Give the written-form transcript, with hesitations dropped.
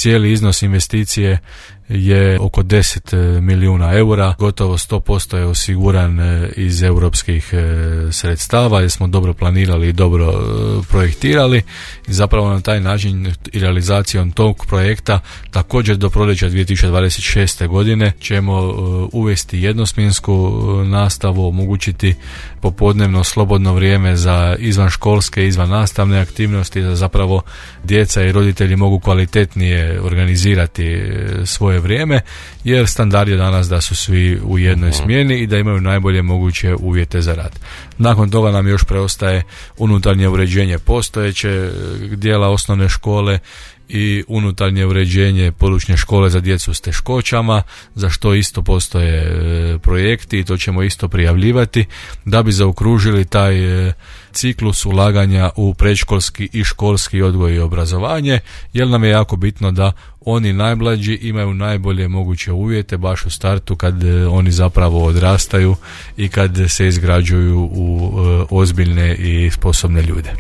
cijeli iznos investicije je oko 10 milijuna eura, gotovo 100% je osiguran iz europskih sredstava, jer smo dobro planirali i dobro projektirali i zapravo na taj način i realizacijom tog projekta također do proljeća 2026. godine ćemo uvesti jednosmjensku nastavu, omogućiti popodnevno slobodno vrijeme za izvanškolske, izvannastavne aktivnosti, da zapravo djeca i roditelji mogu kvalitetnije organizirati svoje vrijeme, jer standard je danas da su svi u jednoj smjeni i da imaju najbolje moguće uvjete za rad. Nakon toga nam još preostaje unutarnje uređenje postojeće dijela osnovne škole i unutarnje uređenje područne škole za djecu s teškoćama, za što isto postoje projekti i to ćemo isto prijavljivati da bi zaokružili taj ciklus ulaganja u predškolski i školski odgoj i obrazovanje, jer nam je jako bitno da oni najmlađi imaju najbolje moguće uvjete baš u startu kad oni zapravo odrastaju i kad se izgrađuju u ozbiljne i sposobne ljude.